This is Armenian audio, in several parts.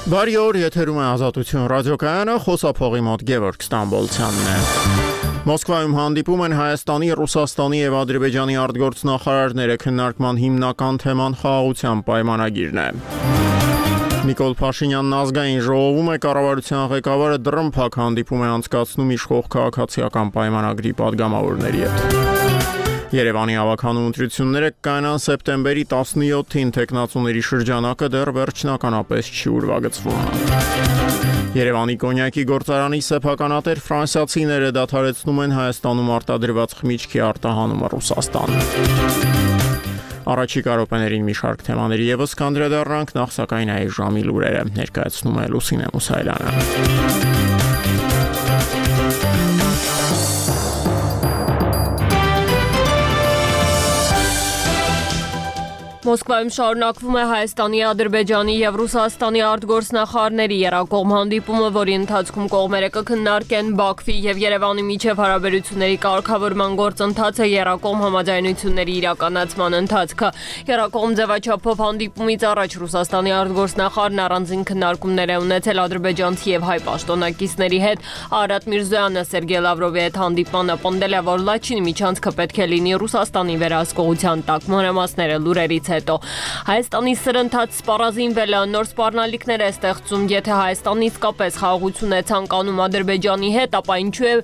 Բարի օր, եթերում է Ազատություն ռադիոկայանը, խոսափողի մոտ Գևորգ Ստամբոլցյանն է։ Մոսկվայում հանդիպում են Հայաստանի, Ռուսաստանի եւ Ադրբեջանի արտգործնախարարները, քննարկման հիմնական թեման խաղաղության պայմանագիրն է։ Նիկոլ Փաշինյանն ազգային ժողովում է, կառավարության ղեկավարը դռնփակ հանդիպում է անցկացնում իշխող քաղաքացիական պայմանագրի падգամավորների հետ։ Երևանի ավականու ընտրությունները կկանան սեպտեմբերի 17-ին, տեխնացուների շրջանակը դեռ վերջնականապես չի ուրվագծվում։ Երևանի կոնյակի գործարանի սեփականատեր ֆրանսիացիները դադարեցնում են Հայաստանում արտադրված խմիչքի արտահանումը Ռուսաստան։ Առաջիկա րոպեներին մի շարք թեմաների եւս կանդրադառնանք, նախ սակայն այս ժամի լուրերը ներկայացնում է Լուսինե Մուսայելյանը։ Մոսկվայում շարունակվում է Հայաստանի, Ադրբեջանի եւ Ռուսաստանի արտգործնախարարների երակողմ հանդիպումը, որի ընթացքում կողմերը կքննարկեն Բաքվի եւ Երևանի միջև հարաբերությունների կարգավորման գործընթացը, երակողմ համաձայնությունների իրականացման ընթացքը։ Երակողմ ձևաչափով հանդիպումից առաջ Ռուսաստանի արտգործնախարարն առանձին քննարկումներ է ունեցել ադրբեջանցի եւ հայ պաշտոնակիցների հետ։ Արարատ Միրզոյանը Սերգեյ Լավրովի հետ հանդիպմանը պնդել է, որ Լաչինի միջանցքը պետք է լինի Ռուսաստանի վերահսկողության տակ։ Մանրամասները լուրերից հետո Հայաստանի սրընթաց սպառազինվել է, նոր սպառնալիքներ է ստեղծում, եթե Հայաստանը իսկապես խաղաղություն է ցանկանում Ադրբեջանի հետ, ապա ինչու է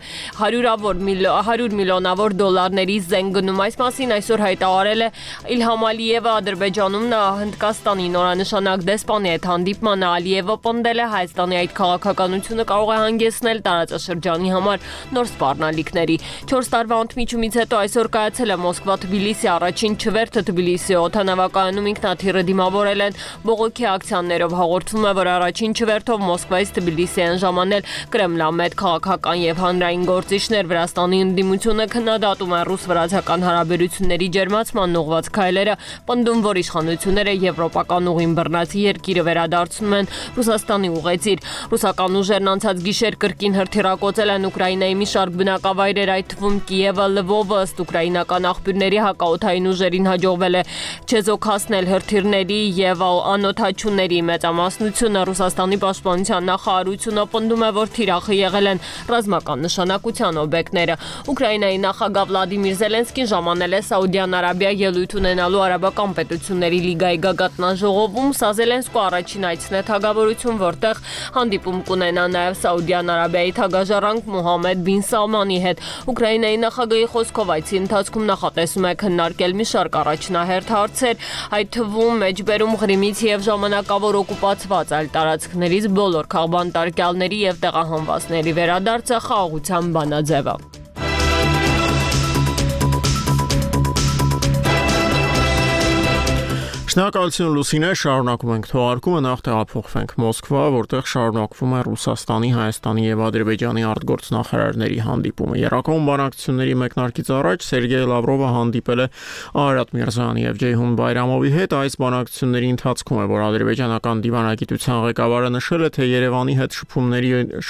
100 միլիոնավոր դոլարների զենք գնում։ Այս մասին այսօր հայտարարել է Իլհամ Ալիևը Ադրբեջանում, նա Հնդկաստանի նորանշանակ դեսպանի հետ հանդիպմանը Ալիևը պնդել է Հայաստանի այդ քաղաքականությունը կարող է հանգեցնել տարածաշրջանի համար նոր սպառնալիքների։ 4 տարվա ընդմիջումից հետո այսօր կայացել է Մոսկվա-Թբիլիսի առաջին չվերթը Թբիլիսի օդանավակայանում ինքնաթիռը դիմավորել են բողոքի ակցիաներով։ Հաղորդվում է, որ առաջին չվերթով Մոսկվայից Թբիլիսի են ժամանել կրեմլամետ քաղաքական եւ հանրային գործիչներ։ Վրաստանի ընդդիմությունը քննադատում է ռուս-վրացական հարաբերությունների ջերմացման ուղղված քայլերը, պնդում, որ իշխանությունները եվրոպական ուղին բռնացի երկիրը վերադարձնում են Ռուսաստանի ուղեծիր։ Ռուսական ուժերն անցած գիշեր կրկին հրթիռակոծել են Ուկրաինայի մի շարք բնակավայրեր, այդ թվում Կիևը, Լվովը, ըստ ուկրաինական աղբյուրների հակաօդային ուժերին հաջողվել է չեզոքացնել հրթիռների եւ անօդաչուների մեծամասնությունը։ Ռուսաստանի պաշտպանության նախարարությունը պնդում է, որ թիրախը եղել են ռազմական նշանակության օբյեկտները։ Ուկրաինայի նախագահ Վլադիմիր Զելենսկին ժամանել է Սաուդյան Արաբիա ելույթ ունենալու Արաբական պետությունների լիգայի գագաթնաժողովում։ Սա Զելենսկու առաջին այցն է թագավորություն, որտեղ հանդիպում կունենա նաեւ Սաուդյան Արաբիայի թագաժառանգ Մոհամմեդ բին Սալմանի հետ։ Ուկրաինայի նախագահի խոսքով այցի ընթացքում նախատեսում է քննարկել մի շարք առաջնահերթ հարցեր, այդ թվում մեջբերում Ղրիմից եւ ժամանակավոր օկուպացված այլ տարածքներից բոլոր քաղբանտարկյալների եւ տեղահանվածների վերադարձը, խաղաղության բանաձևը։ Շնորհակալություն Լուսինե, շարունակում ենք թողարկումը, նախ տեղափոխվենք Մոսկվա, որտեղ շարունակվում է Ռուսաստանի, Հայաստանի եւ Ադրբեջանի արտգործնախարարների հանդիպումը։ Երակողմ բանակցությունների մեկնարկից առաջ Սերգեյ Լավրովը հանդիպել է Արարատ Միրզոյանի եւ Ջեյհուն Բայրամովի հետ։ Այս բանակցությունների ընթացքում է, որ ադրբեջանական դիվանագիտության ղեկավարը նշել է, թե Երևանի հետ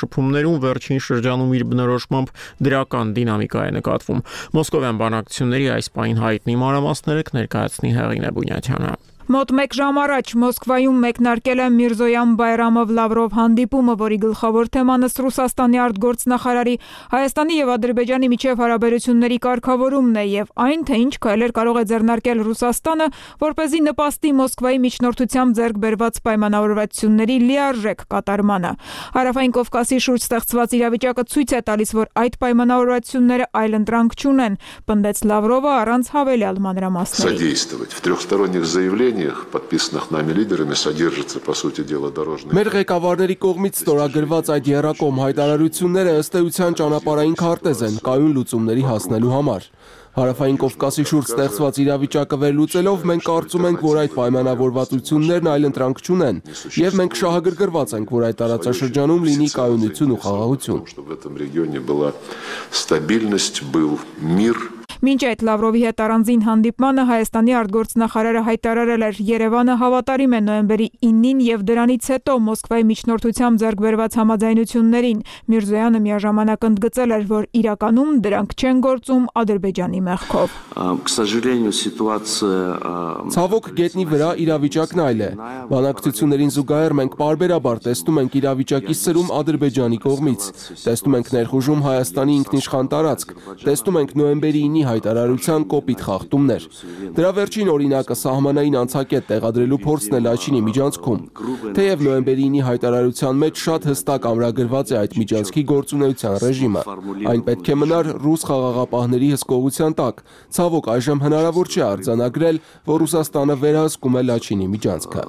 շփումներում վերջին շրջանում իր բնորոշմամբ դրական դինամիկա է նկատվում։ Մոսկովյան բանակցությունների այս պահին հայտնի մանրամասները կներկայացնի Հեղինե Բունյաթյանը։ Մոտ 1 ժամ առաջ Մոսկվայում մեկնարկել է Միրզոյան-Բայրամով-Լավրով հանդիպումը, որի գլխավոր թեման ըստ Ռուսաստանի արտգործնախարարի Հայաստանի եւ Ադրբեջանի միջև հարաբերությունների կարգավորումն է եւ այն, թե ինչ քայլեր կարող է ձեռնարկել Ռուսաստանը, որպեսզի նպաստի Մոսկվայի միջնորդությամբ ձեռք բերված պայմանավորվածությունների լիարժեք կատարմանը։ Հարավային Կովկասի շուրջ ստեղծված իրավիճակը ցույց է տալիս, որ այդ պայմանավորվածությունները այլընտրանք չունեն, պնդեց Լավրովը առանց հավելյալ մանրամասների։ подписанных нами лидерами содержится, по сути дела, дорожный. Մեր ղեկավարների կողմից ստորագրված այդ երակողմ հայտարարությունները ըստ էության ճանապարհային քարտեզ են կայուն լուծումների հասնելու համար։ Հարավային Կովկասի շուրջ ստեղծված իրավիճակը վերլուծելով մենք կարծում ենք, որ այդ պայմանավորվածություններն այլընտրանք չունեն, եւ մենք շահագրգռված ենք, որ այդ տարածաշրջանում լինի կայունություն ու խաղաղություն։ Մինչ այդ Լավրովի հետ առանձին հանդիպմանը Հայաստանի արտգործնախարարը հայտարարել էր Երևանը հավատարիմ է նոյեմբերի 9-ին եւ դրանից հետո Մոսկվայի միջնորդությամբ ձեռք բերված համաձայնություններին։ Միրզոյանը միաժամանակ ընդգծել էր, որ իրականում դրանք չեն գործում Ադրբեջանի մեղքով։ Ցավոք գետնի վրա իրավիճակն այլ է։ Բանակցություններին զուգահեռ մենք պարբերաբար տեսնում ենք իրավիճակի սրում Ադրբեջանի կողմից։ Տեսնում ենք ներխուժում Հայաստանի ինքնիշխան տարածք։ Տեսնում ենք նոյեմբերի 9-ի հայտարարության կոպիտ խախտումներ։ Դրա վերջին օրինակը սահմանային անցակետ տեղադրելու փորձն է Լաչինի միջանցքում։ Թեև նոյեմբերի 9-ի հայտարարության մեջ շատ հստակ ամրագրված է այդ միջանցքի գործունեության ռեժիմը, այն պետք է մնար ռուս խաղաղապահների հսկողության տակ։ Ցավոք այժմ հնարավոր չէ արձանագրել, որ Ռուսաստանը վերահսկում է Լաչինի միջանցքը։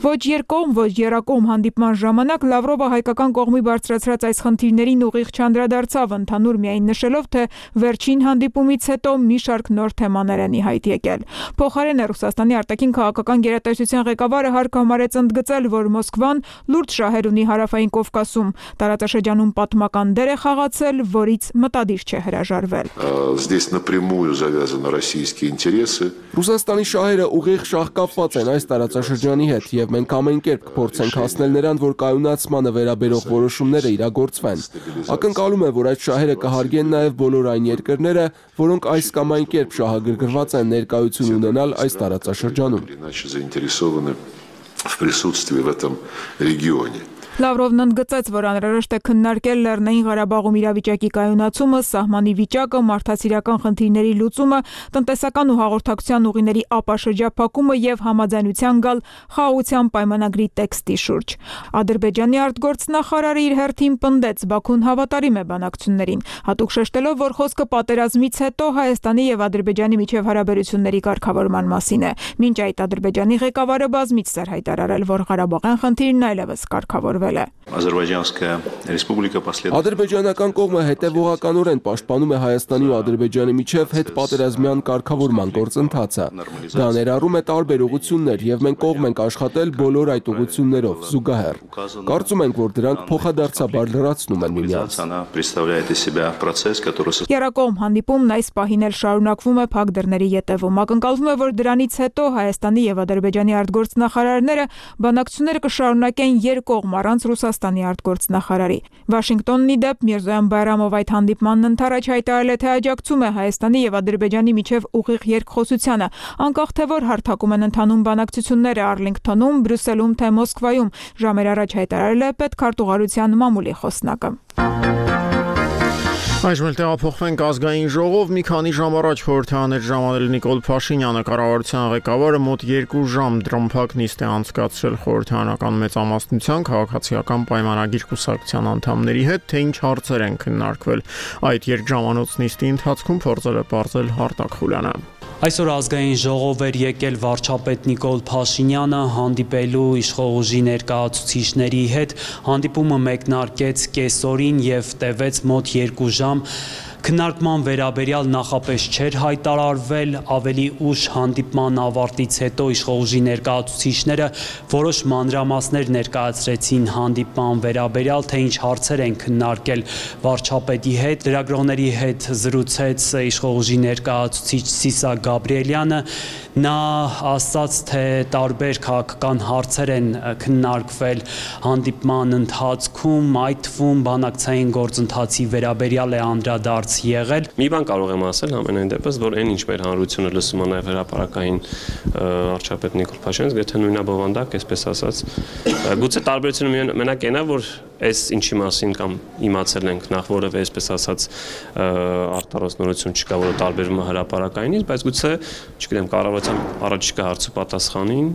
Ոչ երկկողմ, ոչ եռակողմ հանդիպման ժամանակ Լավրովը հայկական կողմի բարձրացրած այս խնդիրներին ուղիղ չանդրադարձավ, ընդհանուր միայն նշելով, թե վերջին հանդիպումից հետո մի շարք նոր թեմաներ են ի հայտ եկել։ Փոխարենը Ռուսաստանի արտաքին քաղաքական գերատեսչության ղեկավարը հարկ համարեց ընդգծել, որ Մոսկվան լուրջ շահեր ունի հարավային Կովկասում, տարածաշրջանում պատմական դեր է խաղացել, որից մտադիր չէ հրաժարվել։ Здесь напрямую завязаны российские интересы. Ռուսաստանի շահերը ուղիղ շահկապված են այս տարածաշրջանի հետ եւ մենք ամեն կերպ կփորձենք հասնել նրան, որ կայունացմանը վերաբերող որոշումները իրագործվեն։ Ակնկալում եմ, որ այդ շահերը կհարգեն նաեւ բոլոր այն երկրները, որոնք այս կամ այն կերպ շահագրգռված են ներկայություն ունենալ այս տարածաշրջանում։ Иначе заинтересованы в присутствии в этом регионе. Լավրովն ընդգծեց, որ անհրաժեշտ է քննարկել Լեռնային Ղարաբաղում իրավիճակի կայունացումը, սահմանի վիճակը, մարդասիրական խնդիրների լուծումը, տնտեսական ու հաղորդակցության ուղիների ապաշրջափակումը եւ համաձայնության գալ խաղաղության պայմանագրի տեքստի շուրջ։ Ադրբեջանի արտգործնախարարը իր հերթին պնդեց, Բաքուն հավատարիմ է բանակցություններին, հատուկ շեշտելով, որ խոսքը պատերազմից հետո Հայաստանի եւ Ադրբեջանի միջև հարաբերությունների կարգավորման մասին է։ Մինչ այդ Ադրբեջանի ղեկավարը բազմիցս էր հայտարարել, որ Ղարաբաղյան խնդիրն այլևս կարգավորվել։ Ադրբեջանական կողմը հետևողականորեն պաշտպանում է Հայաստանի ու Ադրբեջանի միջև հետպատերազմյան կարգավորման գործընթացը։ Դա ներառում է տարբեր ուղղություններ եւ մենք կողմ ենք աշխատել բոլոր այդ ուղղություններով զուգահեռ։ Կարծում ենք, որ դրանք փոխադարձաբար լրացնում են միմյանց։ Եռակողմ հանդիպումն այս պահին էլ շարունակվում է փակ դռների ետևում։ Ակնկալվում է, որ դրանից հետո Հայաստանի եւ Ադրբեջանի արտգործնախարարները բանակցությունները կշարունակեն երկկողմ առանց Ռուսաստանի արտգործնախարարի։ Վաշինգտոնն ի դեպ Միրզոյան Բայրամով այդ հանդիպմանն ընդառաջ հայտարարել է, թե աջակցում է Հայաստանի եւ Ադրբեջանի միջև ուղիղ երկխոսությանը, անկախ թե որ հարթակում են ընթանում բանակցությունները Արլինգթոնում, Բրյուսելում թե Մոսկվայում, ժամեր առաջ հայտարարել է պետքարտուղարության մամուլի խոսնակը։ Այժմ տեղափոխվենք ազգային ժողով։ Մի քանի ժամ առաջ խորհրդարաներ ժամանել Նիկոլ Փաշինյանը, կառավարության ղեկավարը մոտ 2 ժամ դրամփակ նիստ է անցկացրել խորհրդարանական մեծամասնության քաղաքացիական պայմանագիր կուսակցության անդամների հետ, թե ինչ հարցեր են քննարկվել։ Այդ երկժամանոց նիստի ընթացքում փորձել է պարզել Արտակ Խուլյանը։ Այսօր ազգային ժողով էր եկել վարչապետ Նիկոլ Փաշինյանը հանդիպելու իշխող ուժի ներկայացուցիչների հետ, հանդիպումը մեկնարկեց կեսօրին եւ տևեց մոտ 2 ժամ։ Քննարկման վերաբերյալ նախապես չէր հայտարարվել, ավելի ուշ հանդիպման ավարտից հետո իշխող ուժի ներկայացուցիչները որոշ մանրամասներ ներկայացրեցին հանդիպման վերաբերյալ, թե ինչ հարցեր են քննարկել վարչապետի հետ։ Լրագրողների հետ զրուցեց իշխող ուժի ներկայացուցիչ Սիսակ Գաբրիելյանը, նա ասաց, թե տարբեր քաղաքական հարցեր են քննարկվել հանդիպման ընթացքում, այդ թվում բանակցային գործընթացի վերաբերյալ է անդրադարձ եղել։ Մի բան կարող եմ ասել ամենայն դեպս, որ այն ինչ մեր հանրությունը լսում է նաև հրապարակային վարչապետ Նիկոլ Փաշինյանից, եթե նույնաբովանդակ, այսպես ասած, գուցե տարբերությունը մենակ այնա, որ այս ինչի մասին կամ իմացել ենք նախ որևէ այսպես ասած արտարոսնորություն չկա, որը տարբերվում է հրապարակայինից, բայց գուցե, չգիտեմ, կառավարության առաջիկա հարցու պատասխանին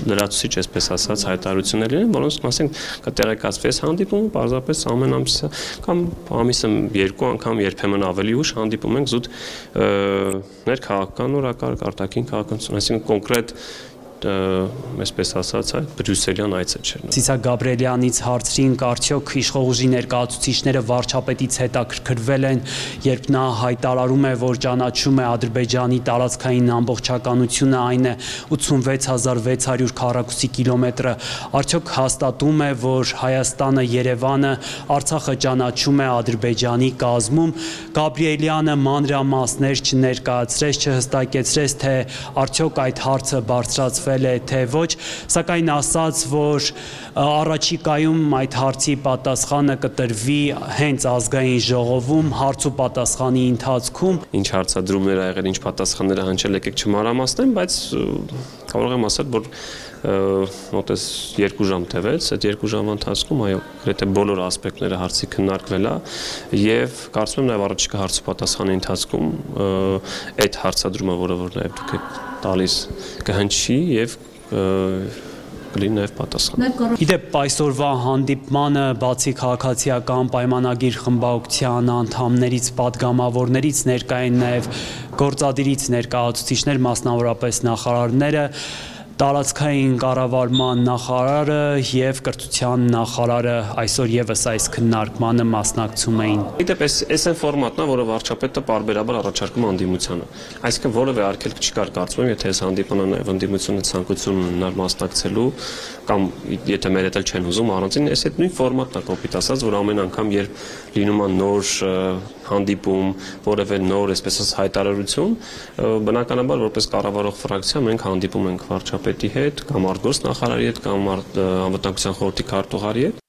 լրացուցիչ այսպես ասած հայտարարություններ են, որոնց մասին կտեղեկացվի այս հանդիպումը, պարզապես ամեն ամսը կամ ամիսը 2 անգամ երբեմն ավելի ուշ հանդիպում ենք զուտ ներքաղաքական օրակարգ, արտաքին քաղաքականություն, այսինքն կոնկրետ այսպես ասած, այդ բրյուսելյան այցը չէր։ Ցիսակ Գաբրիելյանից հարցրինք, արդյոք իշխող ուժի ներկայացուցիչները վարչապետից հետաքրքրվել են, երբ նա հայտարարում է, որ ճանաչում է Ադրբեջանի տարածքային ամբողջականությունը, այն է 86600 քառակուսի կիլոմետրը, արդյոք հաստատում է, որ Հայաստանը, Երևանը Արցախը ճանաչում է Ադրբեջանի կազմում։ Գաբրիելյանը մանրամասներ չներկայացրեց, չհստակեցրեց, թե արդյոք այդ հարցը բարձրացվել է, թե ոչ, սակայն ասաց, որ առաջիկայում այդ հարցի պատասխանը կտրվի հենց ազգային ժողովում հարց ու պատասխանի ընթացքում։ Ինչ հարցադրումներ ա եղել, ինչ պատասխաններ ա հնչել, եկեք չմանրամասնեմ, բայց կարող եմ ասել, որ մոտես 2 ժամ տևեց, այդ 2 ժամվա ընթացքում այո, գրեթե բոլոր ասպեկտները հարցի քննարկվել ա եւ կարծում եմ նաեւ առաջիկա հարց ու պատասխանի ընթացքում այդ հարցադրումը, որը որ նաեւ դուք եք տալիս, կհնչի եւ կլինի նաեւ պատասխան։ Իդեպ այսօրվա հանդիպմանը բացի քաղաքացիական պայմանագիր խմբակցության անդամներից, պատգամավորներից ներկա են նաեւ գործադիրից ներկայացուցիչներ, մասնավորապես նախարարները, տարածքային կառավարման նախարարը եւ կրթության նախարարը այսօր եւս այս քննարկմանը մասնակցում էին։ Իդեպ այս այն ֆորմատն է, որը վարչապետը պարբերաբար առաջարկում անդիմությանը։ Այսինքն որևէ արգելք չկար, կարծում եմ, եթե այս հանդիպանը նաեւ անդիմությունը ցանկություն ունենար մասնակցելու կամ եթե մեր հետ էլ չեն ուզում առանցին, այս այդ նույն ֆորմատն է կոպիտ ասած, որ ամեն անգամ երբ լինում է նոր հանդիպում, որևէ նոր, այսպես ասած, հայտարարություն, բնականաբար որպես կառավարող ֆրակցիա մենք հանդիպում ենք վարչապետի հետ կամ արտգործ նախարարի հետ կամ անվտանգության խորհրդի քարտուղարի հետ։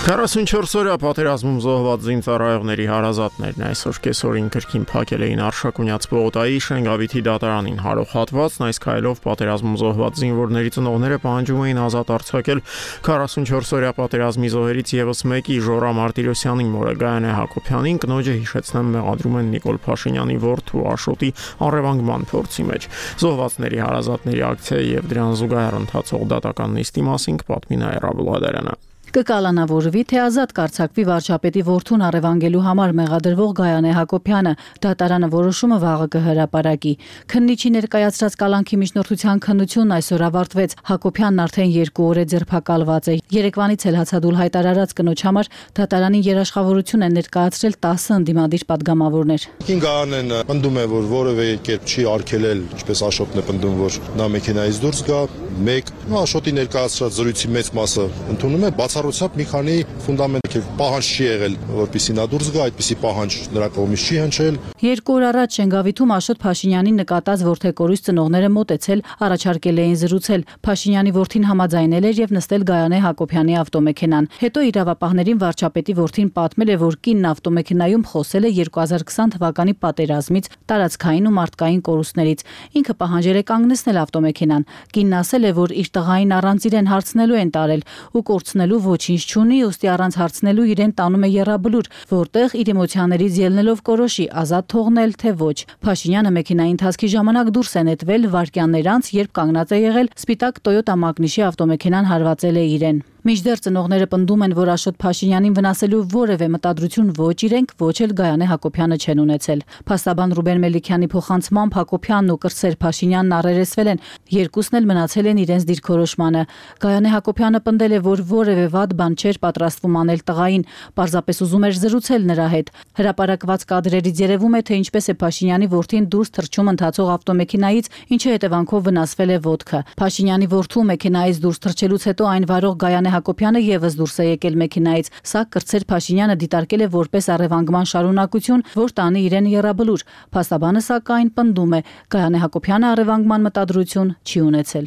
44-օրյա պատերազմում զոհված զինծառայողների հարազատներն այսօր կեսօրին կրկին փակել էին Արշակունյաց Պողոտայի Շենգավիթի դատարանին հարող հատվածն, այս քայլով պատերազմում զոհված զինվորների ծնողները պահանջում էին ազատ արձակել 44-օրյա պատերազմի զոհերից եւս մեկի Ժորա Մարտիրոսյանի մորը Գայանե Հակոբյանին, կնոջը հիշեցնեմ մեղադրում են Նիկոլ Փաշինյանի որդու Աշոտի առևանգման փորձի մեջ։ Զոհվածների հարազատների ակցիայի եւ դրան զուգահեռ ընթացող դատական նիստի մասին կպատմի Նաիրա Բլադարյանը։ Կկալանավորվի, թե ազատ կարձակվի վարչապետի որդուն առևանգելու համար մեղադրվող Գայանե Հակոբյանը, դատարանը որոշումը վաղը կհրապարակի։ Քննիչի ներկայացրած կալանքի միջնորդության քննությունն այսօր ավարտվեց։ Հակոբյանն արդեն 2 օր է ձերբակալված է։ Երեկվանից էլ հացադուլ հայտարարած կնոջ համար դատարանին երաշխավորություն են ներկայացրել 10 ընդդիմադիր պատգամավորներ։ Գայանեն պնդում է, որ որևէ կերպ չի արգելել, ինչպես Աշոտն է պնդում, որ նա մեքենայից դուրս գա, Աշոտի ներկայացրած զրույցի մեծ մասը ընդունում է, բացառությամբ մի քանի ֆունդամենտալ պահանջ չի եղել, որպեսզի նա դուրս գա, այդպիսի պահանջ նրա կողմից չի հնչել։ 2 օր առաջ Շենգավիթում Աշոտ Փաշինյանին նկատած որդեկորույս ծնողները մոտեցել, առաջարկել էին զրուցել։ Փաշինյանի որդին համաձայնել էր եւ նստել Գայանե Հակոբյանի ավտոմեքենան։ Հետո իրավապահներին վարչապետի որդին պատմել է, որ կինն ավտոմեքենայում խոսել է 2020 թվականի պատերազմից, տարածքային ու մարդկային կորուստներից։ Ինքը պահանջել է կանգնեցնել ավտոմեքենան։ Կինն ասել է, որ իր տղային առանց իրեն հարցնելու են տարել ու կորցնելու ոչինչ չունի, ուստի առանց հարցնելու իրեն տանում է եռաբլուր, որտեղ իր էմոցիաներից ելնելով կորոշի ազատ թողնել թե ոչ։ Փաշինյանը մեքենայի ընթացքի ժամանակ դուրս է նետվել վայրկյաններ անց, երբ կանգնած է եղել սպիտակ Toyota Magnus-ի ավտոմեքենան հարվածել է իրեն։ Մինչդեռ ծնողները պնդում են, որ Աշոտ Փաշինյանին վնասելու որևէ մտադրություն ոչ իրենք, ոչ էլ Գայանե Հակոբյանը չեն ունեցել։ Փաստաբան Ռուբեն Մելիքյանի փոխանցմամբ Հակոբյանն ու Կրսեր Փաշինյանն առերեսվել են, երկուսն էլ մնացել են իրենց դիրքորոշմանը։ Գայանե Հակոբյանը պնդել է, որ որևէ վատ բան չէր պատրաստվում անել տղային, պարզապես ուզում էր զրուցել նրա հետ։ Հրապարակված կադրերից երևում է, թե ինչպես է Փաշինյանի որդին դուրս թռչում ընթացող ավտոմեքենայից, ինչի հետևանքով վնասվել է ոտքը։ Փաշինյանի որդու մեքենայից դուրս թռչելուց հետո այն վարող Գայանե Հակոբյանը եւս դուրս է եկել մեքենայից, սա Կրծեր Փաշինյանը դիտարկել է որպես առևանգման շարունակություն, որ տանի իրեն եռաբլուր։ Փաստաբանը սակայն պնդում է, Գայանե Հակոբյանը առևանգման մտադրություն չի ունեցել։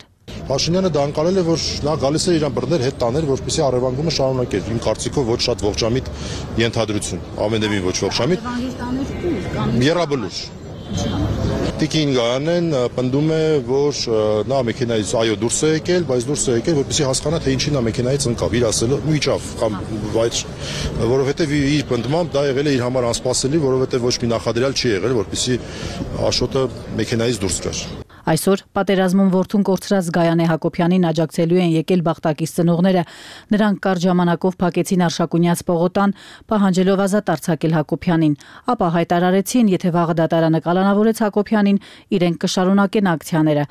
Փաշինյանը դա անցալել է, որ նա գալիս է իրան բռներ հետ տաներ, որպեսզի առևանգումը շարունակեր։ Իմ կարծիքով ոչ շատ ողջամիտ ենթադրություն, ամենևին ոչ ողջամիտ։ Եռաբլուր։ Տիկին Գայանեն պնդում է, որ նա մեքենայից այո դուրս է եկել, բայց դուրս է եկել, որպեսզի հասկանա, թե ինչի նա մեքենայից ընկավ, իր ասելով միջավ կամ որովհետև իր պնդմամբ դա եղել է իր համար անսպասելի, որովհետև ոչ մի նախադրյալ չի եղել, որպեսզի Աշոտը մեքենայից դուրս գար։ Այսօր պատերազմում որդուն կորցրած Գայանե Հակոբյանին աջակցելու են եկել Բախտակից ծնողները։ Նրանք կարճ ժամանակով փակեցին Արշակունյաց պողոտան, պահանջելով ազատ արձակել Հակոբյանին, ապա հայտարարեցին, եթե վաղը դատարանը կալանավորեց Հակոբյանին, իրենք կշարունակեն ակցիաները։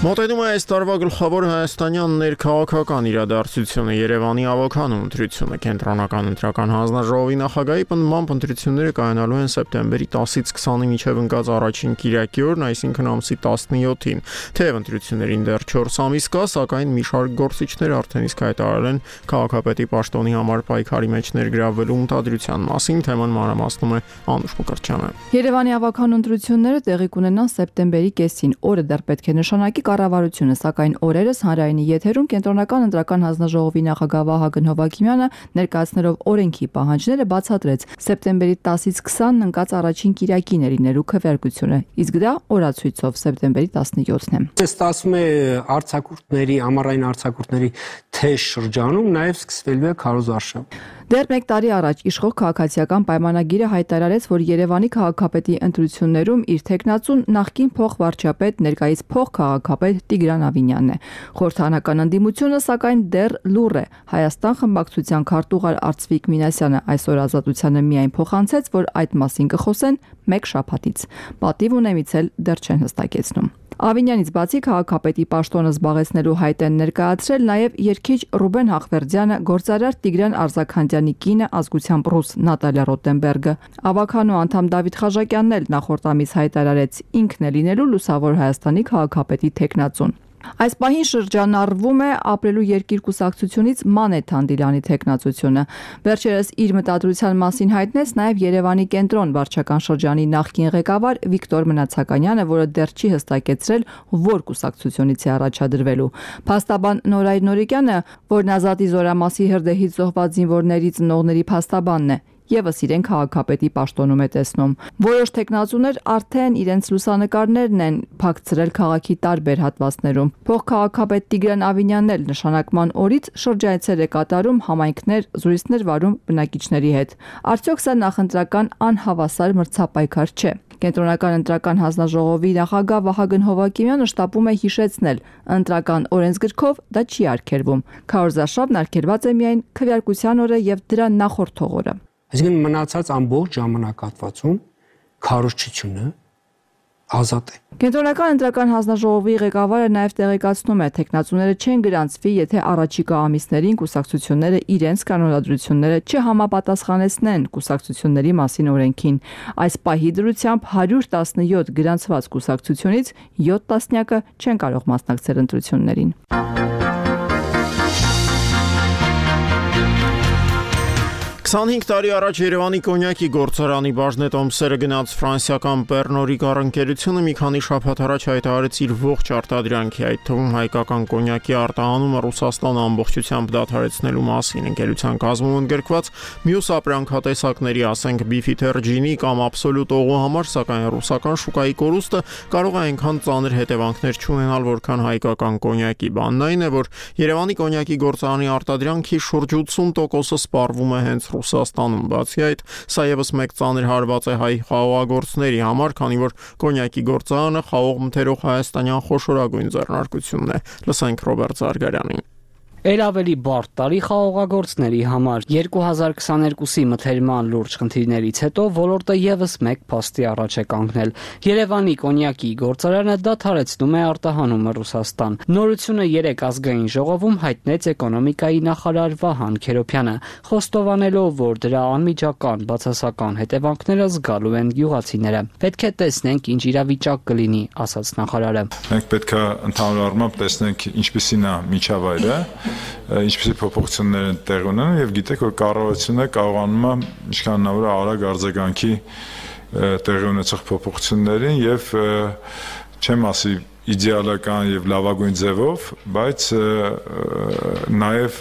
Մոտենում է այս տարվա գլխավոր հայաստանյան ներքաղաքական իրադարձությունը Երևանի ավականու ընտրությունը կենտրոնական ընտրական հանձնաժողովի նախագահի պնդմամբ ընտրությունները կայանալու են սեպտեմբերի 10-ից 20-ի միջև ընկած առաջին կիրակի օրն, այսինքն ամսի 17-ին։ Թեև ընտրություններին դեռ 4 ամիս կա, սակայն մի շարք գործիչներ արդեն իսկ հայտարարել են քաղաքապետի պաշտոնի համար պայքարի մեջ ներգրավվելու ունդադրության մասին, թեման մանրամասնում է Անուշ Մկրտչյանը։ Երևանի ավականու ընտրությունները տեղի կունենան սեպտեմբերի կեսին, օրը դեռ պետք է նշանակի կառավարությունը, սակայն օրերս հանրայինի եթերում կենտրոնական ընտրական հանձնաժողովի նախագահ Վահագն Հովհաննիսյանը ներկայացնելով օրենքի պահանջները բացատրեց սեպտեմբերի 10-ից 20-ն ընկած առաջին կիրակին լինելու քվեարկությունը, իսկ դա օրացույցով սեպտեմբերի 17-ն է։ Ստացվում է արձակուրդների, ամառային արձակուրդների թեժ շրջանում նաև սկսվելու է քարոզարշավ։ Դեռ 1 տարի առաջ իշխող քաղաքացիական պայմանագիրը հայտարարեց, որ Երևանի քաղաքապետի ընտրություններում իր թեկնածուն նախկին փոխվարչապետ, ներկայիս փոխքաղաքապետ Տիգրան Ավինյանն է։ Խորհրդարանական ընդդիմությունը սակայն դեռ լուռ է։ Հայաստան խմբակցության քարտուղար Արծվիկ Մինասյանը այսօր Ազատությանը միայն փոխանցեց, որ այդ մասին կխոսեն 1 շաբաթից։ Պատիվ ունեմիցել դեռ չեն հստակեցնում։ Ավինյանից բացի քաղաքապետի պաշտոնը զբաղեցնելու հայտ են ներկայացրել նաև երգիչ Ռուբեն Հախվերդյանը, գործարար Տիգրան Արզաքանդյանի կինը, ազգությամբ ռուս Նատալիա Ռոտենբերգը։ Ավականու անդամ Դավիթ Խաժակյանն էլ նախորդ ամիս հայտարարեց ինքն է լինելու Լուսավոր Հայաստանի քաղաքապետի թեկնածուն։ Այս պահին շրջանառվում է ապրելու երկիր կուսակցությունից Մանեթ Հանդիլյանի թեկնածությունը։ Վերջերս իր մտադրության մասին հայտնեց նաև Երևանի կենտրոն վարչական շրջանի նախկին ղեկավար Վիկտոր Մնացականյանը, որը դեռ չի հստակեցրել, որ կուսակցությունից է առաջադրվելու։ Փաստաբան Նորայր Նորիկյանը, որն Ազատի զորամասի հրդեհից զոհված զինվորների ծնողների փաստաբանն է, եւս իրեն քաղաքապետի պաշտոնում է տեսնում։ Որոշ տեխնացուներ արդեն իրենց լուսանկարներն են փակցրել քաղաքի տարբեր հատվածներում։ Փոխքաղաքապետ Տիգրան Ավինյանն էլ նշանակման օրից շրջայցեր է կատարում, համայնքներ, զրույցներ վարում բնակիչների հետ։ Արդյոք սա նախընտրական անհավասար մրցապայքար չէ։ Կենտրոնական ընտրական հանձնաժողովի նախագահ Վահագն Հովհաննիսյանը շտապում է հիշեցնել, ընտրական օրենսգրքով դա չի արգելվում։ Քարոզարշավն արգելված է միայն քվեարկության օրը եւ դրա նախորդ օրը։ Այսինքն մնացած ամբողջ ժամանակահատվածում քարոզչությունը ազատ է։ Կենտրոնական ընտրական հանձնաժողովի ղեկավարը նաև տեղեկացնում է, տեխնացուները չեն գրանցվի, եթե առաջիկա ամիսներին կուսակցությունները իրենց կանոնադրությունները չհամապատասխանեցնեն կուսակցությունների մասին օրենքին։ Այս պահի դրությամբ 117 գրանցված կուսակցությունից 7 տասնյակը չեն կարող մասնակցել ընտրություններին։ 25 տարի առաջ Երևանի կոնյակի գործարանի բաժնետոմսերը գնաց ֆրանսիական Pernod Ricard ընկերությունը մի քանի շաբաթ առաջ հայտարարեց իր ողջ արտադրանքի, այդ թվում հայկական կոնյակի արտահանումը Ռուսաստանը ամբողջությամբ դադարեցնելու մասին։ Ընկերության կազմում ընդգրկված մյուս ապրանքատեսակների, ասենք Beefeater ջինի կամ Absolut օղու համար, սակայն ռուսական շուկայի կորուստը կարող է այնքան ծանր հետևանքներ չունենալ, որքան հայկական կոնյակի։ Բանն այն է, որ Երևանի կոնյակի գործարանի արտադրանքի շուրջ 80%-ը սպառվում է հենց Ռուսաստանում։ Բացի այդ, սա եւս մեկ ծանր հարված է հայ խաղողագործների համար, քանի որ կոնյակի գործարանը խաղող մթերող հայաստանյան խոշորագույն ձեռնարկությունն է։ Լսենք Ռոբերտ Զարգարյանին։ Էլ ավելի բարդ տարի խաղողագործների համար 2022-ի մթերման լուրջ խնդիրներից հետո ոլորտը եւս մեկ փաստի առաջ է կանգնել։ Երևանի կոնյակի գործարանը դադարեցնում է արտահանումը Ռուսաստան։ Նորությունը 3 ազգային ժողովում հայտնեց էկոնոմիկայի նախարար Վահան Քերոբյանը, խոստովանելով, որ դրա անմիջական բացասական հետևանքները զգալու են գյուղացիները։ Պետք է տեսնենք, ինչ իրավիճակ կլինի, ասաց նախարարը։ Մենք պետք է ընդհանուր առմամբ տեսնենք ինչպիսին է միջավայրը, ինչպիսի փոփոխություններ են տեղ ունենում եւ գիտեք, որ կառավարությունը կարողանում է ինչքան հնարավոր է արագ արձագանքի տեղի ունեցող փոփոխություններին եւ չեմ ասի իդեալական եւ լավագույն ձևով, բայց նաեւ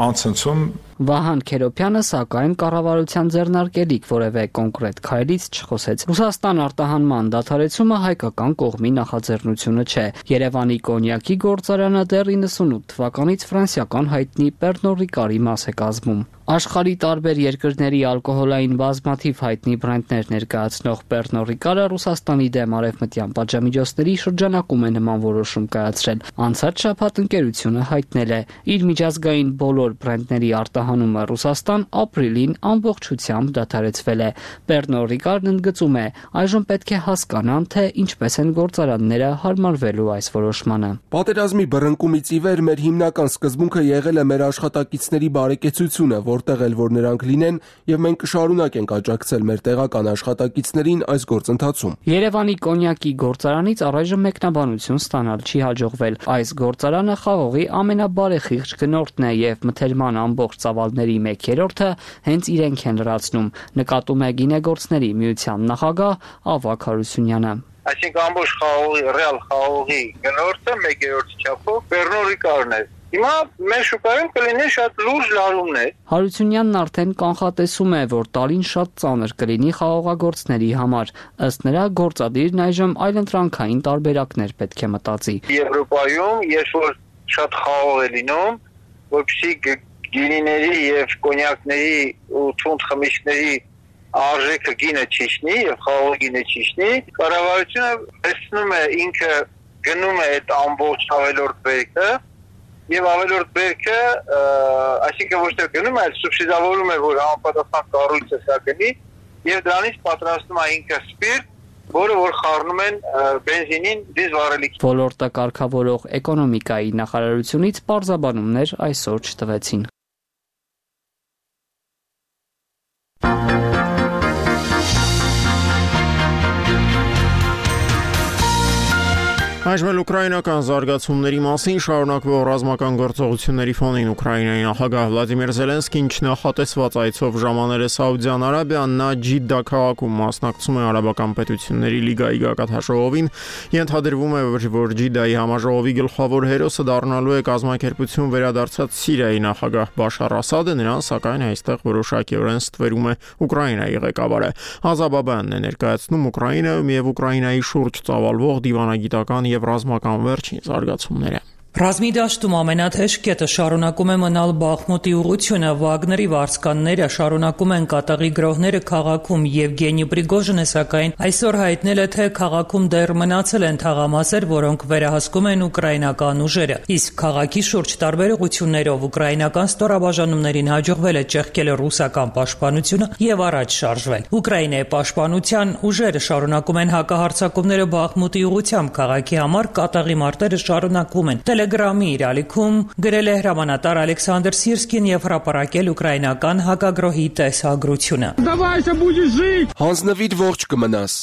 անցնցում Վահան Քերոփյանը սակայն կառավարության ձեռնարկելիք որևէ կոնկրետ քայլից չխոսեց։ Ռուսաստան արտահանման դադարեցումը հայկական կողմի նախաձեռնությունը չէ։ Երևանի կոնյակի գործարանը դեռ 98 թվականից ֆրանսիական հայտնի Pernod Ricard-ի մաս է կազմում։ Աշխարհի տարբեր երկրների ալկոհոլային բազմաթիվ հայտնի բրենդներ ներկայացնող Pernod Ricard-ը Ռուսաստանի դեմ արևմտյան պատժամիջոցների շրջանակում է նման որոշում կայացրել։ Անցած շաբաթ ընկերությունը հայտնել է իր միջազգային բոլոր բրենդների արտահանումը Ռուսաստան ապրիլին ամբողջությամբ դադարեցվել է։ Pernod Ricard-ն ընդգծում է, այժմ պետք է հասկանան, թե ինչպես են գործարանները հարմարվելու այս որոշմանը։ Պատերազմի բռնկումից ի վեր մեր հիմնական սկզբունքը եղել է մեր աշխատակիցների բարեկեցությունը, որտեղ էլ որ նրանք լինեն, եւ մենք կշարունակենք աջակցել մեր տեղական աշխատակիցներին այս գործընթացում։ Երևանի կոնյակի գործարանից առայժմ մեկնաբանություն ստանալ չի հաջողվել։ Այս գործարանը խաղողի ամենաբարեխիղճ գնորդն է եւ մթերման ամբողջ ծավալների 1/3-ը հենց իրենք են լրացնում, նկատում է գինեգործների միության նախագահ Ավագ Հարությունյանը։ Այսինքն ամբողջ խաղողի, ռեալ խաղողի գնորդը 1/3 չափով Pernod Ricard-ն է։ Հիմա մեր շուկայում կլինի շատ լուրջ լարումներ։ Հարությունյանն արդեն կանխատեսում է, որ տարին շատ ծանր կլինի խաղողագործների համար։ Ըստ նրա, գործադիրն այժմ այլընտրանքային տարբերակներ պետք է մտածի։ Եվրոպայում երբ որ շատ խաղող է լինում, որպեսզի գինիների եւ կոնյակների ու թունդ խմիչքների արժեքը գինը չիջնի եւ խաղողի գինը չիջնի, կառավարությունը տեսնում է ինքը գնում է այդ ամբողջ ավելորդ բերքը եւ ավելորդ բերքը, այսինքն ոչ թե գնում է, այլ սուբսիդավորում է, որ համապատասխան կառույցը սա գնի եւ դրանից պատրաստում է ինքը սպիրտ, որը որ խառնում են բենզինին դիզվառելիք։ Ոլորտը կարգավորող էկոնոմիկայի նախարարությունից պարզաբանումներ այսօր չտվեցին։ Այժմ ուկրաինական զարգացումների մասին շարունակվող ռազմական գործողությունների ֆոնին Ուկրաինայի նախագահ Վլադիմիր Զելենսկին չնախատեսված այցով ժամանել է Սաուդյան Արաբիան, նա Ջիդդա քաղաքում մասնակցում է Արաբական պետությունների լիգայի գագաթնաժողովին, ենթադրվում է, որ Ջիդդայի համաժողովի գլխավոր հերոսը դառնալու է կազմակերպություն վերադարձած Սիրիայի նախագահ Բաշար Ասադը, նրան սակայն այստեղ որոշակիորեն ստվերում է Ուկրաինայի ղեկավարը։ Ազաբաբյանն է ներկայացնում Ուկրաինայում եւ Ուկրաինայի շուրջ ծավալվող դիվանագիտական եւ ռազմական վերջին զարգացումները։ Ռազմի դաշտում ամենաթեժ կետը շարունակում է մնալ Բախմուտի ուղղությունը, Վագների վարձկանները շարունակում են կատաղի գրոհները քաղաքում, Եվգենի Պրիգոժինը սակայն այսօր հայտնել է, թե քաղաքում դեռ մնացել են թաղամասեր, որոնք վերահսկում են ուկրաինական ուժերը, իսկ քաղաքի շուրջ տարբեր ուղղություններով ուկրաինական ստորաբաժանումներին հաջողվել է ճեղքել ռուսական պաշտպանությունը եւ առաջ շարժվել։ Ուկրաինայի պաշտպանության ուժերը շարունակում են հակահարձակումները Բախմուտի ուղղությամբ, քաղաքի համար կատաղի մարտերը շարունակվում են։ Տելեգրամի իր ալիքում գրել է հրամանատար Ալեքսանդր Սիրսկին եւ հրապարակել ուկրաինական հակագրոհի տեսագրությունը։ Հանձնվիր ողջ կմնաս։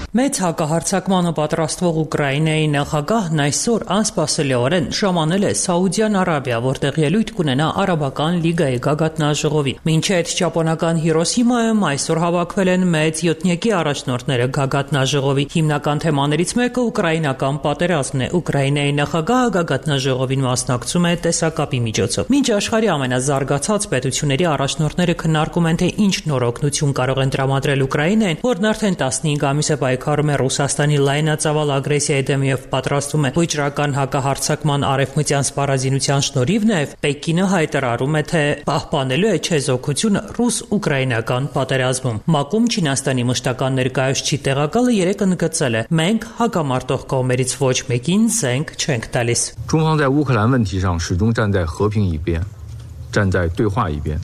Մեծ հակահարձակմանը պատրաստվող Ուկրաինայի նախագահն այսօր անսպասելիորեն ժամանել է Սաուդյան Արաբիա, որտեղ ելույթ կունենա Արաբական լիգայի գագաթնաժողովի։ Մինչև ճապոնական Հիրոսիմայում այսօր հավաքվել են մեծ յոթնյակի առաջնորդները գագաթնաժողովի։ Հիմնական թեմաներից մեկը ուկրաինական պատերազմն է։ Ուկրաինայի նախագահը գագաթնաժողովին մասնակցում է տեսակապի միջոցով։ Մինչ աշխարհի ամենազարգացած պետությունների առաջնորդները քննարկում են, թե ինչ նոր օգնություն կարող են տրամադրել Ուկրաինային, որն արդեն 15 ամիս է պայքարում է Ռուսաստանի լայնածավալ ագրեսիայի դեմ եւ պատրաստվում է վճռական հակահարձակման արևմտյան սպառազինության շնորհիվ նաեւ Պեկինը հայտարարում է, թե պահպանելու է չեզոքությունը ռուս-ուկրաինական պատերազմում։ ՄԱԿ-ում Չինաստանի մշտական ներկայացուցիչ տեղակալը երեկ ընդգծել է. մենք հակամարտող կողմերից ոչ մեկին զենք չենք տալիս։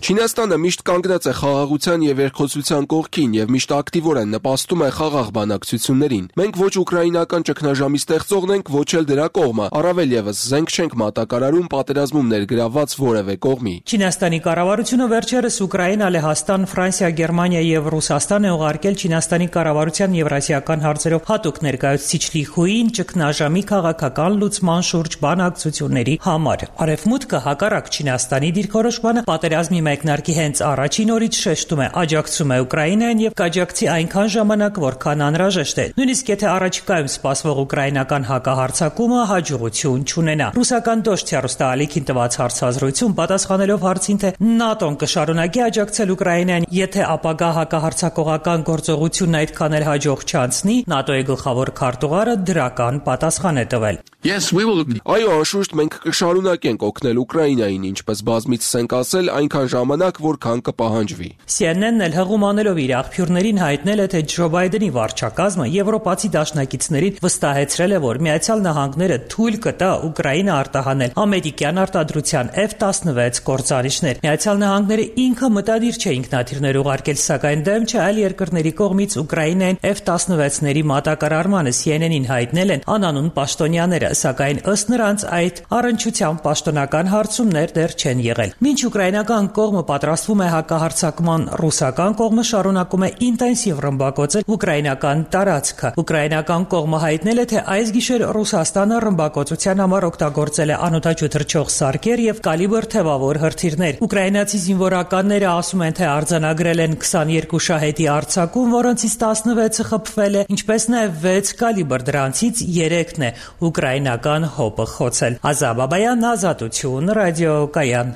Չինաստանը միշտ կանգնած է խաղաղության եւ երկխոսության կողքին եւ միշտ ակտիվորեն նպաստում է խաղաղ բանակցություններին։ Մենք ոչ ուկրաինական ճգնաժամի ստեղծողն ենք, ոչ էլ դրա կողմը, առավել եւս զենք չենք մատակարարում պատերազմում ներգրավված որևէ կողմի։ Չինաստանի կառավարությունը վերջերս Ուկրաինա, Լեհաստան, Ֆրանսիա, Գերմանիա եւ Ռուսաստան է ուղարկել Չինաստանի կառավարության եվրասիական հարցերով հատուկ ներկայացուցիչ Լի Խուին ճգնաժամի քաղաքական լուծման շուրջ բանակցությունների համար։ Արևմուտքը հակառակ Չինաստանի դիրքորոշ կարգավորոշմանը պատերազմի մեկնարկի հենց առաջին օրից շեշտում է աջակցում է Ուկրաինային եւ կաջակցի այնքան ժամանակ, որքան անհրաժեշտ է։ Նույնիսկ եթե առաջիկայում սպասվող ուկրաինական հակահարձակումը հաջողություն չունենա։ Ռուսական Դոշտյա հեռուստաալիքին տված հարցազրույցում պատասխանելով հարցին, թե ՆԱՏՕ-ն կշարունակի աջակցել Ուկրաինային, եթե ապագա հակահարձակողական գործողությունն այդքան էլ հաջող չանցնի, ՆԱՏՕ-ի գլխավոր քարտուղարը դրական պատասխան է տվել։ Այո, անշուշտ մենք կշարունակենք օգնել Ուկրաինային, ինչպես բազմիցս ենք ասել, այնքան ժամանակ, որքան կպահանջվի։ CNN-ն էլ հղում անելով իր աղբյուրներին հայտնել է, թե Ջո Բայդենի վարչակազմը եվրոպացի դաշնակիցներին վստահեցրել է, որ Միացյալ Նահանգները թույլ կտա Ուկրաինա արտահանել ամերիկյան արտադրության F-16 կործանիչներ։ Միացյալ Նահանգները ինքը մտադիր չէ ինքնաթիռներ ուղարկել, սակայն դեմ չէ այլ երկրների կողմից Ուկրաինային F-16-ների մատակարարմանը CNN-ին հայտնել են անանուն պաշտոնյաները, սակայն ըստ նրանց այդ առնչությամբ պաշտոնական հարցումներ դեռ չեն եղել։ Մինչ ուկրաինական կողմը պատրաստվում է հակահարձակման, ռուսական կողմը շարունակում է ինտենսիվ ռմբակոծել ուկրաինական տարածքը։ Ուկրաինական կողմը հայտնել է, թե այս գիշեր Ռուսաստանը ռմբակոծության համար օգտագործել է անօդաչու թռչող սարքեր եւ կալիբր թևավոր հրթիռներ։ Ուկրաինացի զինվորականները ասում են, թե արձանագրել են 22 շահեդի արձակում, որոնցից 16-ը խփվել է, ինչպես նաեւ 6 կալիբր, դրանցից 3-ն է ուկրաինական հոպը խոցել։ Ազատ Բաբայան, Ազատություն, ռադիոկայան։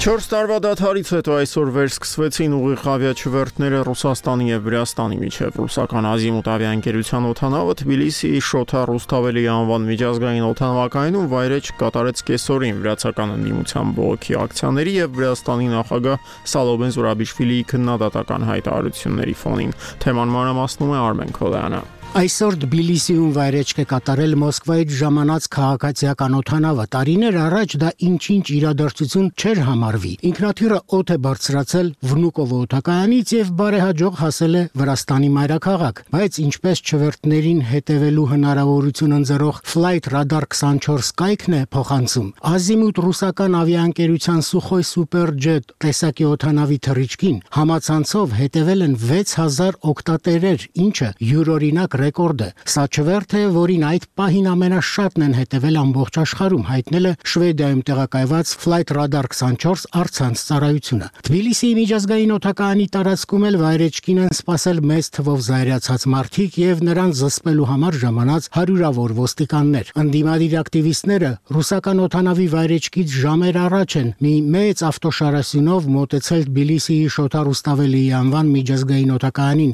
4 տարվա դադարից հետո այսօր վերսկսվեցին ուղիղ ավիաչվերթները Ռուսաստանի եւ Վրաստանի միջև։ Ռուսական Ազիմուտ ավիաընկերության օդանավը Թբիլիսիի Շոթա Ռուստավելի անվան միջազգային օդանավակայանում վայրէջք կատարեց կեսօրին վրացական ընդդիմության բողոքի ակցիաների եւ Վրաստանի նախագահ Սալոմե Զուրաբիշվիլիի քննադատական հայտարարությունների ֆոնին։ Թեման մանրամասնում է Արմեն Քոլյանը։ Այսօր Թբիլիսիում վայրեջք է կատարել Մոսկվայից ժամանած քաղաքացիական օդանավը։ Տարիներ առաջ դա ինչ-ինչ իրադարձություն չէր համարվի։ Ինքնաթիռը օդ է բարձրացել Վնուկովո օդակայանից եւ բարեհաջող հասել է Վրաստանի մայրաքաղաք, բայց ինչպես չվերթներին հետևելու հնարավորություն ընձեռող Flight Radar 24 կայքն է փոխանցում, Ազիմուտ ռուսական ավիաընկերության Sukhoi Superjet տեսակի օդանավի թռիչքին համացանցով հետևել են 6000 օգտատերեր, ինչը յուրօրինակ ռեկորդ է։ Սա չվերթ է, որին այդ պահին ամենաշատն են հետևել ամբողջ աշխարհում, հայտնել է Շվեդիայում տեղակայված Flight Radar 24 առցանց ծառայությունը։ Թբիլիսիի միջազգային օդակայանի տարածքում էլ վայրեջքին են սպասել մեծ թվով զայրացած մարդիկ եւ նրանց զսպելու համար ժամանած հարյուրավոր ոստիկաններ։ Ընդդիմադիր ակտիվիստները ռուսական օդանավի վայրեջքից ժամեր առաջ են մի մեծ ավտոշարասյունով մոտեցել Թբիլիսիի Շոթա Ռուստավելիի անվան միջազգային օդակայանին։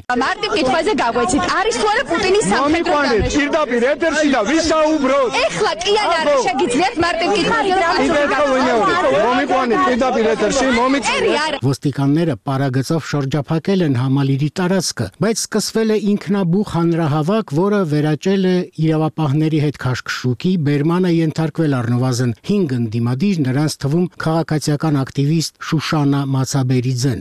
Պուտինի սամփետրովկա։ Իրդապիր էտերսիլա, վիսա ուբրոտ։ Էխլա կիան արշագից վեր մարտինքի Ոստիկանները պարագծով շրջափակել են համալիրի տարածքը, բայց սկսվել է ինքնաբուխ հանրահավաք, որը վերաճել է իրավապահների հետ քաշքշուկի, բերմանը ենթարկվել առնվազն 5 ընդդիմադիր, նրանց թվում քաղաքացիական ակտիվիստ Շուշանա Մացաբերիձեն։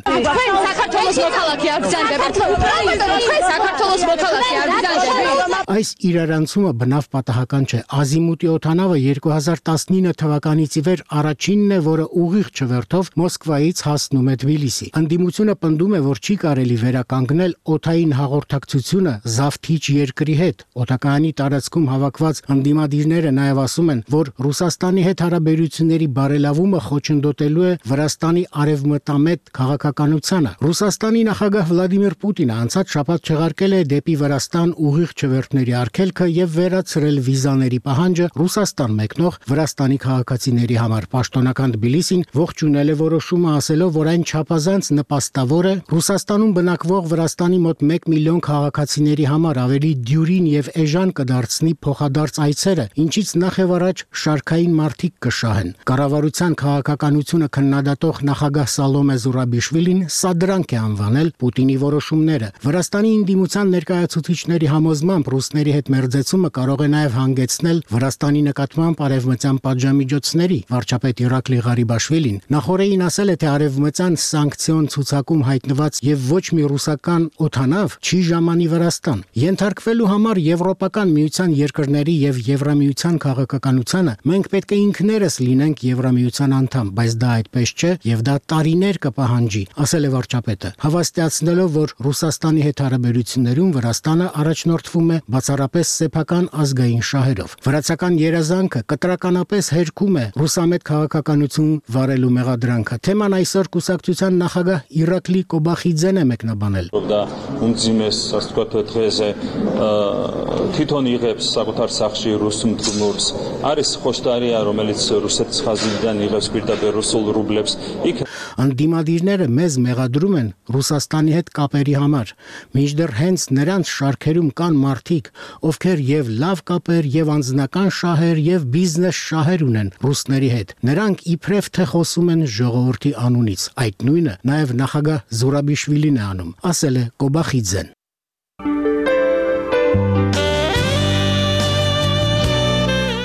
Այս իրարանցումը բնավ պատահական չէ։ Ազիմուտի օդանավը 2019 թվականից ի վեր առաջինն է, որը ուղիղ չվերթով Մոսկվայից հասնում է Թբիլիսի։ Ընդդիմությունը պնդում է, որ չի կարելի վերականգնել օդային հաղորդակցությունը զավթիչ երկրի հետ։ Օդակայանի տարածքում հավաքված ընդդիմադիրները նաև ասում են, որ Ռուսաստանի հետ հարաբերությունների բարելավումը խոչընդոտելու է Վրաստանի արևմտամետ քաղաքականությանը։ Ռուսաստանի նախագահ Վլադիմիր Պուտինը անցած շաբաթ չեղարկել է դեպի Վրաստան ուղիղ չվերթների արգելքը եւ վերացրել վիզաների պահանջը Ռուսաստան մեկնող Վրաստանի քաղաքացիների համար։ Պաշտոնական Թբիլիսին ողջունել է որոշումը, ասելով, որ այն չափազանց նպաստավոր է Ռուսաստանում բնակվող Վրաստանի մոտ 1 միլիոն քաղաքացիների համար ավելի դյուրին եւ էժան կդարձնի փոխադարձ այցերը, ինչից նախ եւ առաջ շարքային մարտիկ կշահեն։ Կառավարության քաղաքականությունը քննադատող նախագահ Սալոմե Զուրաբիշվիլին սադրանք է անվանել Պուտինի որոշումները։ Վրաստանի ընդդիմության ներկայացուցիչների համոզմամբ ռուսների հետ մերձեցումը կարող է նաև հանգեցնել Վրաստանի նկատմամբ արևմտյան պատժամիջոցների։ Վարչապետ Իրակլի Ղարիբաշվիլին նախորդին ասել է, թե արևմտյան սանկցիոն ցուցակում հայտնված եւ ոչ մի ռուսական օդանավ չի ժամանի Վրաստան։ Ենթարկվելու համար Եվրոպական միության երկրների եւ Եվրամիության քաղաքականությանը մենք պետք է ինքներս լինենք Եվրամիության անդամ, բայց դա այդպես չէ եւ դա տարիներ կպահանջի, ասել է վարչապետը, հավաստիացնելով, որ Ռուսաստանի հետ հարաբերություններում Վրաստանը առաջնորդվում է բացառապես սեփական ազգային շահերով։ Վրացական երազանքը կտրականապես հերքում է ռուսամետ քաղաքականություն վարելու մեղադրանքը։ Թեման այսօր կուսակցության նախագահ Իրակլի Կոբախիձեն է մեկնաբանել։ Դա ումձիմես աստվածաթեզե թիթոն იღებს սակութար սախշի ռուսում դուրս արիս խոշտարի արոմելից ռուսեց խազիլդան იღებს պիրտաբեր ռուսոլ ռուբլեփս Անդիմադիրները մեզ մեղադրում են Ռուսաստանի հետ կապերի համար, մինչդեռ հենց նրանց շարքերում կան մարդիկ, ովքեր եւ լավ կապեր եւ անձնական շահեր եւ բիզնես շահեր ունեն ռուսների հետ։ Նրանք իբրև թե խոսում են ժողովրդի անունից։ Այդ նույնը նաեւ նախագահ Զուրաբիշվիլին է անում, ասել է Կոբախիձեն։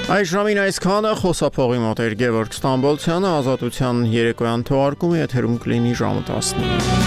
Այս ժամին այսքանը խոսափողի մոտ էր Գևորգ Ստամբոլցյանը, Ազատության երեկոյան թողարկումը եթերում կլինի ժամը 19-ին։